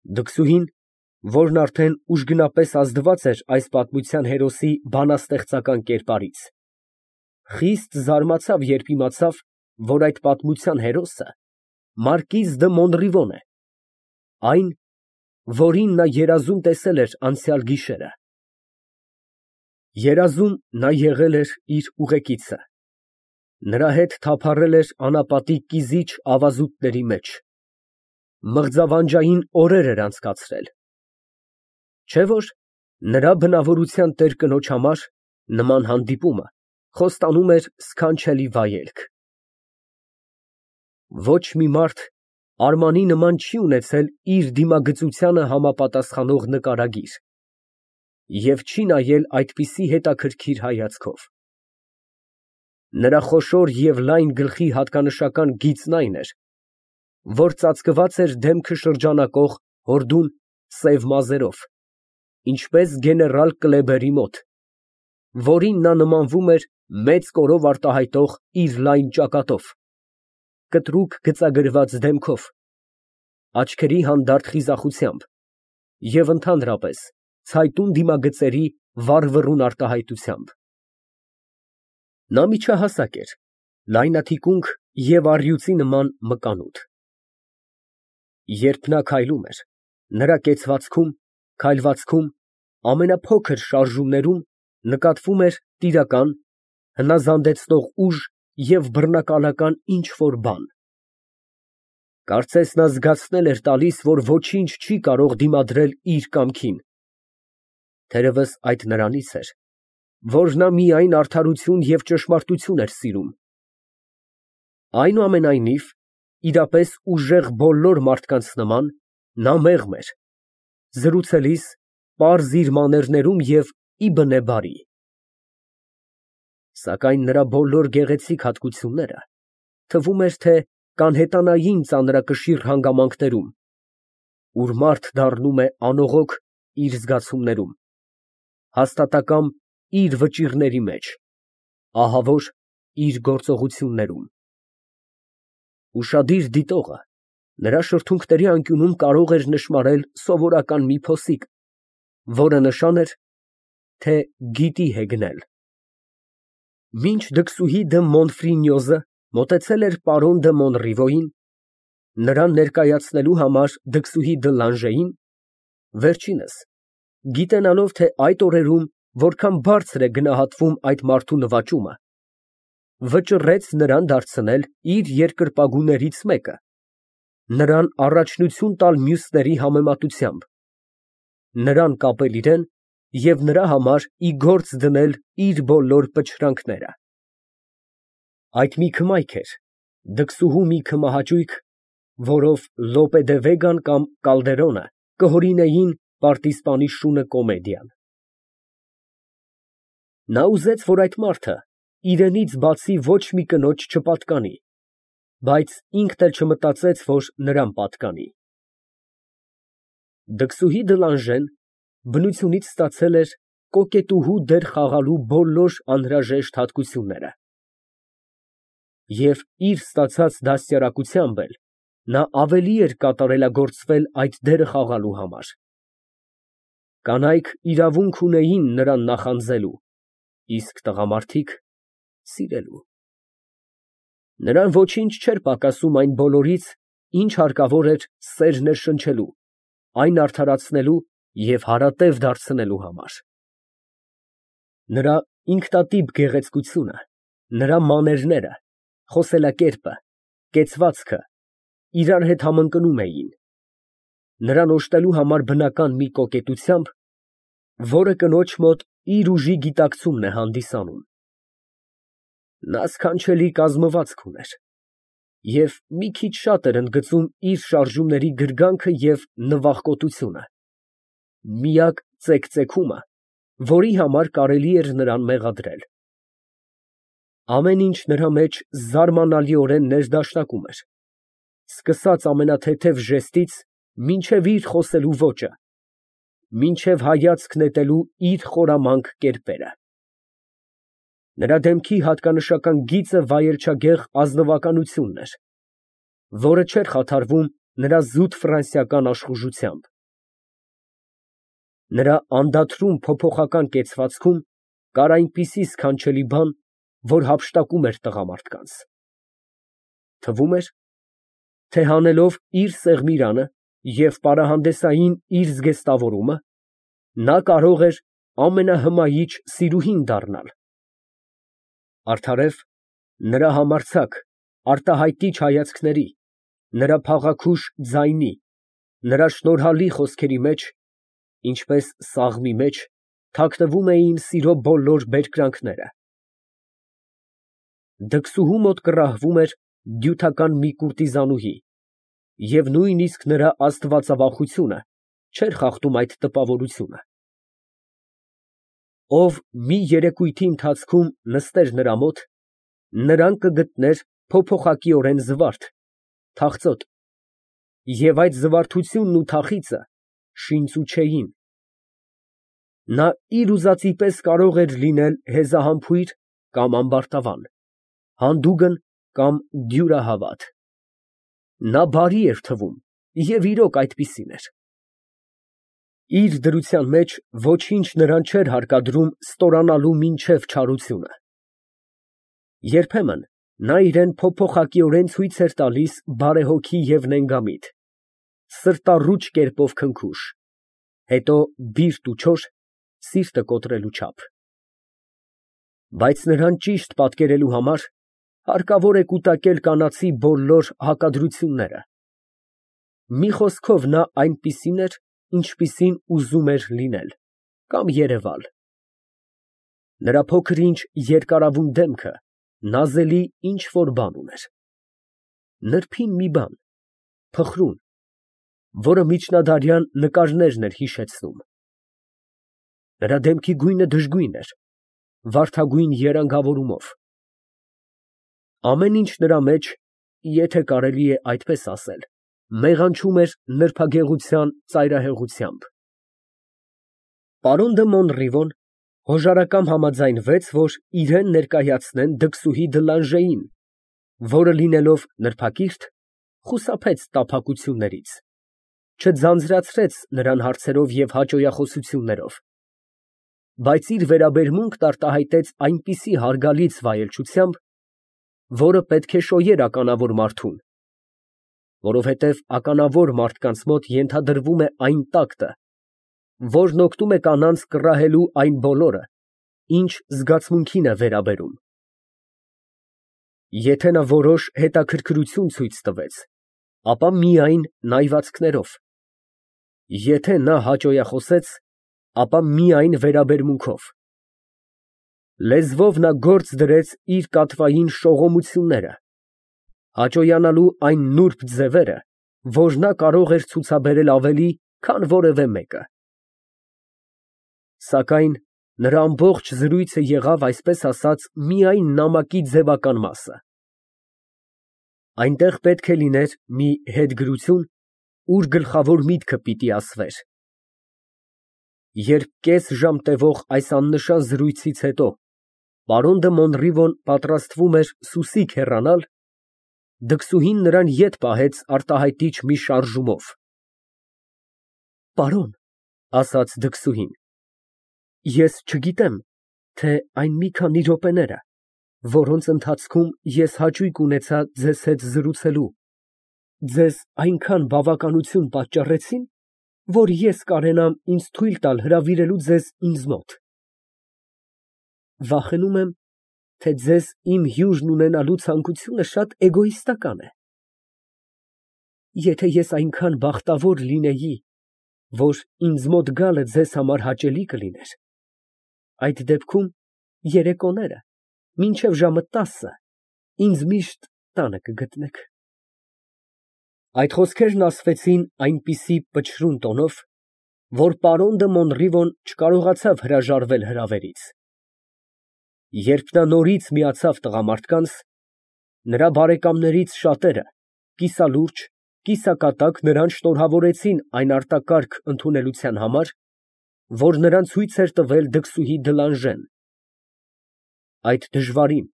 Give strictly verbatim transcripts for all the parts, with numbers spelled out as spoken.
Դքսուհին, որն արդեն ուժգնապես ազդված էր այս պատմության հերոսի բանաստեղծական կերպարից, խիստ զարմացավ, երբ իմացավ, որ այդ պատմության հերոսը մարկիզ դը Մոնրիվոն է, այն, որին նա երազում տեսել էր անցյալ գիշերը։ Երազում նա եղել էր իր ուղեկիցը, նրա հետ թափառել էր անապատի կիզիչ ավազուտների մեջ, մղձավանջային օրեր էր անցկացրել, չէ՞ որ նրա բնավորության տեր կնոջ համար նման հանդիպումը խոստանում էր սքանչելի վայելք։ Ոչ մի մարդ Արմանի նման չի ունեցել իր դիմագծությանը համապատասխանող նկարագիր և չի նայել այդպիսի հետաքրքիր հայացքով։ Նրա խոշոր և լայն գլխի հատկանշական գիծն այն էր, որ ծածկված էր դեմքը շրջանակող հորդուն սև մազերով, ինչպես գեներալ Կլեբերի մոտ, որին նա նմանվում էր մեծ կորով արտահայտող իր լայն ճակատով, կտրուկ գծագրված դեմքով, աչքերի հանդարտ խիզախությամբ և ընդհանրապես ցայտուն դիմագծերի վառվռուն արտահայտությամբ։ Նա միջահասակ էր, լայնաթիկունք և առյուծի նման մկանուտ։ Երբ նա քայլում էր, նրա կեցվածքում, քայլվածքում, ամենափոքր շարժումներում նկատվում էր տիրական, հնազանդեցնող ուժ և բռնակալական ինչ֊որ բան։ Կարծես նա զգացնել էր տալիս, որ ոչինչ չի կարող դիմադրել իր կամքին, թերևս այդ նրանից էր, որ նա միայն արդարություն և ճշմարտություն էր սիրում։ Այնուամենայնիվ, իրապես ուժեղ բոլոր մարդկանց նման, նա մեղմ էր, զրուցելիս պարզ իր մաներներում և ի բնե բարի։ Սակայն նրա բոլոր գեղեցիկ հատկությունները, թվում էր, թե կանհետանային ծանրակշիռ հանգամանքներում, ուր մարդ դառնում է անողոք իր զգացումներում, հաստատակամ իր վճիռների մեջ, ահավոր իր գործողություններում։ Ուշադիր դիտողը նրա շրթունքների անկյունում կարող էր նշմարել սովորական մի փոսիկ, որը նշան էր, թե գիտի հեգնել։ Մինչ դքսուհի դը Մոնֆրինյոզը մոտեցել էր պարոն դը Մոնրիվոյին, նրան ներկայացնելու համար դքսուհի դը Լանժեին, վերջինս, գիտենալով, թե այդ օրերում որքան բարձր է գնահատվում այդ մարդու նվաճումը, վճռեց նրան դարձնել իր երկրպագուներից մեկը, նրան առաջնություն տալ մյուսների համեմատությամբ, նրան կապել իրան և նրա համար ի գործ դնել իր բոլոր պչրանքները։ Այդ մի քմայք էր, դքսուհու մի քմահաճույք, որով Լոպե դե Վեգան կամ Կալդերոնը կհորինեին պարտիզպանի շունը կոմեդիան։ Նա ուզեց, որ այդ մարդը իրենից բացի ոչ մի կնոջ չպատկանի, բայց ինքն էլ չմտածեց, որ նրան պատկանի։ Դքսուհի դը Լանժեն բնությունից ստացել էր կոկետուհու դեր խաղալու բոլոր անհրաժեշտ հատկությունները, և իր ստացած դաստիարակությամբ էլ նա ավելի էր կատարելագործվել այդ դերը խաղալու համար։ Կանայք իրավունք ունեին նրան նախանձելու, իսկ տղամարդիկ՝ սիրելու։ Նրան ոչինչ չէր պակասում այն բոլորից, ինչ հարկավոր էր սեր ներշնչելու, այն արդարացնելու և հարատև դարձնելու համար։ Նրա ինքնատիպ գեղեցկությունը, նրա մաներները, խոսելակերպը, կեցվածքը իրար հետ համընկնում էին, նրան օժտելու համար բնական մի կոկետությամբ, որը կնոջ մոտ իր ուժի գիտակցումն է հանդիսանում։ Նա սքանչելի կազմվածք ուներ և մի քիչ շատ էր ընդգծում իր շարժումների գրգանքը և նվախկոտությունը, միակ ծեքծեքումը, որի համար կարելի էր նրան մեղադրել։ Ամեն ինչ նրա մեջ զարմանալիորեն ներդաշնակում էր, սկսած ամենաթեթև ժեստից մինչև իր խոսելու ոճը, մինչև հայացք նետելու իր խորամանկ կերպերը։ Նրա դեմքի հատկանշական գիծը վայելչագեղ ազնվականությունն էր, որը չէր խաթարվում նրա զուտ ֆրանսիական աշխուժությամբ։ Նրա անդադրուն փոփոխական կեցվածքում կար այնպիսի սքանչելի բան, որ հափշտակում էր տղամարդկանց. թվում էր, թե հանելով իր սեղմիրանը և պարահանդեսային իր զգեստավորումը, նա կարող էր ամենահմայիչ սիրուհին դառնալ. արդարև, նրա համարձակ, արտահայտիչ հայացքների, նրա փաղաքուշ ձայնի, նրա շնորհալի խոսքերի մեջ, ինչպես սաղմի մեջ, թաքնվում էին սիրո բոլոր բերկրանքները։ Դքսուհու մոտ կռահվում էր դյութական մի կուրտիզանուհի, և նույնիսկ նրա աստվածավախությունը չէր խախտում այդ տպավորությունը։ Ով մի երեկույթի ընթացքում նստեր նրա մոտ, նրան կգտներ փոփոխակիորեն զվարթ, թախծոտ, և այդ զվարթությունն ու թախիծը շինծու չէին։ Նա իր ուզածի պես կարող էր լինել հեզահամբույր կամ ամբարտավան, հանդուգն կամ դյուրահավատ։ Նա բարի էր թվում, և իրոք այդպիսին էր։ Իր դրության մեջ ոչինչ նրան չէր հարկադրում ստորանալու մինչև չարությունը։ Երբեմն նա իրան փոփոխակիորեն ցույց էր տալիս բարեհոգի և նենգամիտ, սրտառուչ կերպով քնքուշ, հետո բիրտ ու չոր, սիրտը կոտրելու չափ։ Բայց նրան ճիշտ պատկերելու համար հարկավոր է կուտակել կանացի բոլոր հակադրությունները։ Մի խոսքով, նա այնպիսին էր, ինչպիսին ուզում էր լինել կամ երևալ։ Նրա փոքր֊ինչ երկարավուն դեմքը նազելի ինչ֊որ բան ուներ, նրբին մի բան, փխրուն, որը միջնադարյան նկարներն էր հիշեցնում։ Նրա դեմքի գույնը դժգույն էր, վարդագույն երանգավորումով։ Ամեն ինչ նրա մեջ, եթե կարելի է այդպես ասել, մեղանչում էր նրբագեղության ծայրահեղությամբ։ Պարոն դը Մոնռիվոն հոժարակամ համաձայնվեց, որ իրան ներկայացնեն դքսուհի Դլանժեին, որը, լինելով նրբակիրթ, խուսափեց տափակություններից, չձանձրացրեց նրան հարցերով և հաճոյախոսություններով, բայց իր վերաբերմունքն արտահայտեց այնպիսի հարգալից վայելչությամբ, որը պետք է շոյեր ականավոր մարդուն, որովհետև ականավոր մարդկանց մոտ ենթադրվում է այն տակտը, որն օգնում է կանանց կռահելու այն բոլորը, ինչ զգացմունքին է վերաբերում։ Եթե նա որոշ հետաքրքրություն ցույց տվեց, ապա միայն նայվածքներով, եթե նա հաճոյախոսեց, ապա միայն վերաբերմունքով։ Լեզվով նա գործ դրեց իր կատվային շողոմությունները, հաճոյանալու այն նուրբ ձևերը, որ նա կարող էր ցուցաբերել ավելի, քան որևէ մեկը։ Սակայն նրա ամբողջ զրույցը եղավ, այսպես ասած, միայն նամակի ձևական մասը։ Այնտեղ պետք է լիներ մի հետգրություն, ուր գլխավոր միտքը պիտի ասվեր։ Երբ կես ժամ տևող այս աննշան զրույցից հետո պարոն դը Մոնռիվոն պատրաստվում էր սուսիկ հեռանալ, դքսուհին նրան ետ պահեց արտահայտիչ մի շարժումով։ Պարոն, ֊ ասաց դքսուհին, ֊ ես չգիտեմ, թե այն մի քանի րոպեները, որոնց ընթացքում ես հաճույք ունեցա ձեզ հետ զրուցելու, ձեզ այնքան բավականություն պատճառեցի՞ն, որ ես կարենամ ինձ թույլ տալ հրավիրելու ձեզ ինձ մոտ։ Վախենում եմ, թե ձեզ իմ հյուրն ունենալու ցանկությունը շատ էգոիստական է։ Եթե ես այնքան բախտավոր լինեի, որ ինձ մոտ գալը ձեզ համար հաճելի կլիներ, այդ դեպքում երեկոները մինչև ժամը տասը ինձ միշտ տանը կգտնեք։ Այդ խոսքերն ասվեցին այնպիսի պչռուն տոնով, որ պարոն դը Մոնռիվոն չկարողացավ հրաժարվել հրավերից։ Երբ նա նորից միացավ տղամարդկանց, նրա բարեկամներից շատերը կիսալուրջ, կիսակատակ նրան շնորհավորեցին այն արտակարգ ընդունելության համար, որ նրան ցույց էր տվել դքսուհի Դլանժեն։ Այդ դժվարին,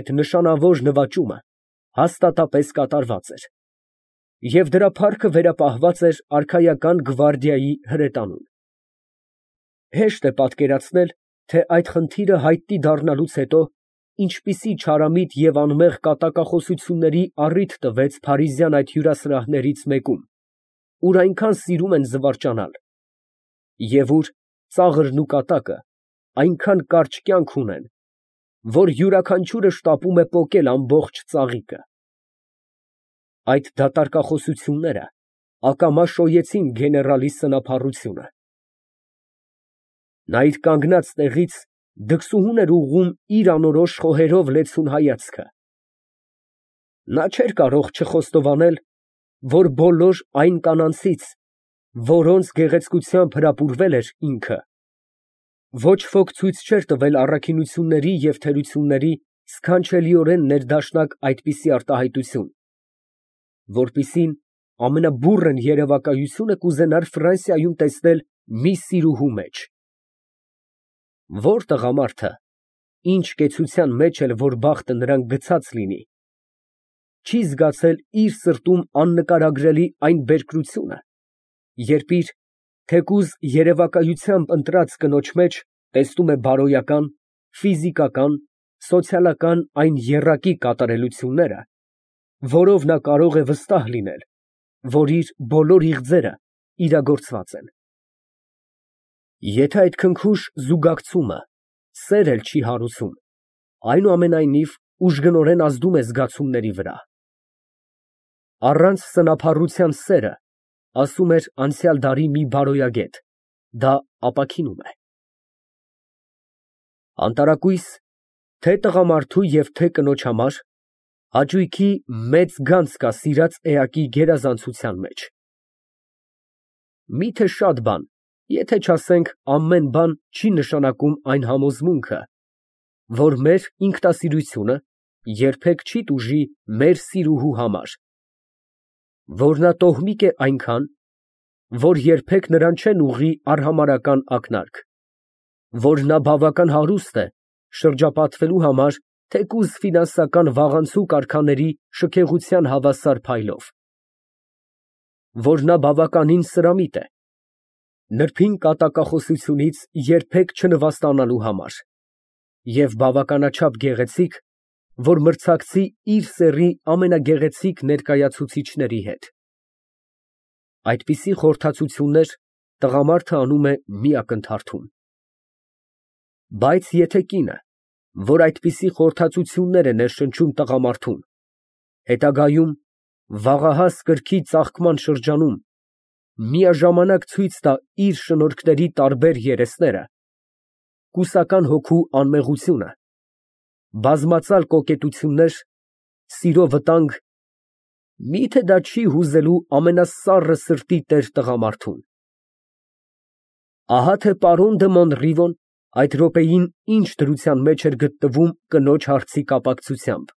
այդ նշանավոր նվաճումը հաստատապես կատարված էր, և դրա փառքը վերապահված էր արքայական գվարդիայի հրետանուն։ Հեշտ է պատկերացնել, թե այդ խնդիրը հայտնի դառնալուց հետո ինչպիսի չարամիտ և անմեղ կատակախոսությունների առիթ տվեց փարիզյան այդ հյուրասրահներից մեկում, ուր այնքան սիրում են զվարճանալ, և ուր ծաղրն ու կատակը այնքան կարճ կյանք ունեն, որ յուրաքանչյուրը շտապում է պոկել ամբողջ ծաղիկը։ Այդ դատարկախոսությունները ակամա շոյեցին գեներալի սնափառությունը։ Նա իր կանգնած տեղից դքսուհուն էր ուղղում իր անորոշ խոհերով լեցուն հայացքը։ Նա չէր կարող չխոստովանել, որ բոլոր այն կանանցից, որոնց գեղեցկությամբ հրապուրվել էր ինքը, ոչ ոք ցույց չէր տվել առաքինությունների և թերությունների սքանչելիորեն ներդաշնակ այդպիսի արտահայտություն, որպիսին ամենաբուռն երևակայությունը կուզենար Ֆրանսիայում տեսնել մի սիրուհու մեջ։ Ո՞ր տղամարդը, ինչ կեցության մեջ էլ որ բախտը նրան գցած լինի, չի զգացել իր սրտում աննկարագրելի այն բերկրությունը, երբ իր, թեկուզ երևակայությամբ ընտրած կնոջ մեջ տեսնում է բարոյական, ֆիզիկական, սոցիալական այն եռակի կատարելությունները, որով նա կարող է վստահ լինել, որ իր բոլոր իղձերը իրագործված են։ Եթե այդ քնքուշ զուգակցումը սեր էլ չի հարուցում, այնուամենայնիվ ուժգնորեն ազդում է զգացումների վրա։ Առանց սնափառության սերը, ասում էր անցյալ դարի մի բարոյագետ, դա ապաքինում է։ Անտարակույս թե տղամարդու և թե կնոջ համար հաճույքի մեծ գանձ կա սիրած էակի գերազանցության մեջ։ Միթե շատ բան, եթե չասենք ամեն բան չի նշանակում այն համոզմունքը, որ մեր ինքնասիրությունը երբեք չի տուժի մեր սիրուհու համար, որ նա տոհմիկ է այնքան, որ երբեք նրան չեն ուղղի արհամարհական ակնարկ, որ նա բավական հարուստ է շրջապատվելու համար թեկուզ ֆինանսական վաղանցիկ արքաների շքեղության հավասար փայլով, որ նա բավականին սրամիտ է նրբին կատակախոսությունից երբեք չնվաստանալու համար և բավականաչափ գեղեցիկ, որ մրցակցի իր սեռի ամենագեղեցիկ ներկայացուցիչների հետ։ Այդպիսի խորհրդածություններ տղամարդը անում է մի ակնթարթում։ Բայց եթե կինը, որ այդպիսի խորհրդածություններ է ներշնչում տղամարդուն, հետագայում վաղահաս կրքի ծաղկման շրջանում միաժամանակ ցույց տա իր շնորհքների տարբեր երեսները, կուսական հոգու անմեղությունը, բազմածալ կոկետություններ, սիրո վտանգ, մի՞թե դա չի հուզելու ամենասառը սրտի տեր տղամարդուն։ Ահա թե պարոն դը Մոնռիվոն այդ րոպեին ինչ դրության մեջ էր գտնվում կնոջ հարցի կապակցությամբ,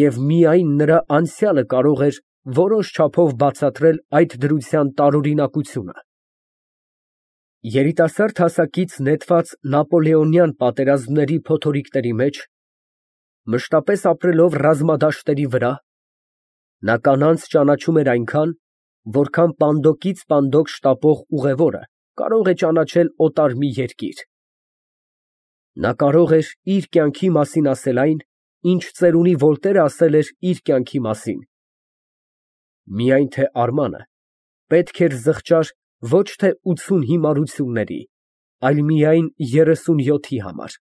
և միայն նրա անցյալը կարող էր որոշ չափով բացատրել այդ դրության տարօրինակությունը։ Երիտասարդ հասակից նետված նապոլեոնյան պատերազմների փոթորիկների մեջ, մշտապես ապրելով ռազմադաշտերի վրա, նա կանանց ճանաչում էր այնքան, որքան պանդոկից պանդոկ շտապող ուղևորը կարող է ճանաչել օտար մի երկիր։ Նա կարող էր իր կյանքի մասին ասել այն, ինչ ծերունի Վոլտերը ասել էր իր կյանքի մասին, միայն թե Արմանը պետք էր զղջար ոչ թե ութսուն հիմարությունների, այլ միայն երեսունյոթի համար։